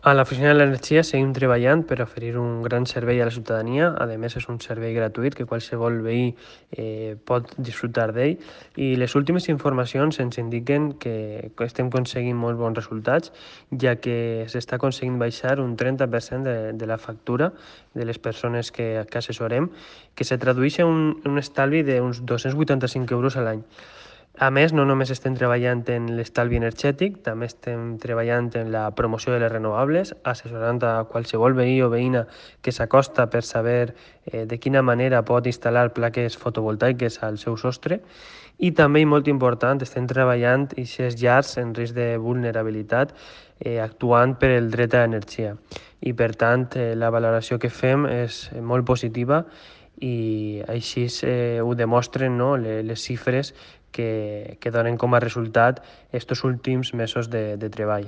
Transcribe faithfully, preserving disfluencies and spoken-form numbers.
A l'Oficina de l'Energia seguim treballant per oferir un gran servei a la ciutadania. A més, és un servei gratuït que qualsevol veí eh, pot disfrutar d'ell. I les últimes informacions ens indiquen que estem aconseguint molt bons resultats, ja que s'està aconseguint baixar un trenta per cent de, de la factura de les persones que, que assessorem, que se tradueix en un, un estalvi d'uns dos-cents vuitanta-cinc euros a l'any. A més, no només estem treballant en l'estalvi energètic, també estem treballant en la promoció de les renovables, assessorant a qualsevol veí o veïna que s'acosta per saber eh, de quina manera pot instal·lar plaques fotovoltaiques al seu sostre. I també, i molt important, estem treballant en aquestes llars en risc de vulnerabilitat, eh, actuant per el dret a l'energia. I, per tant, eh, la valoració que fem és molt positiva i així eh, ho demostren, no?, les, les xifres que, que donen com a resultat aquests últims mesos de, de treball.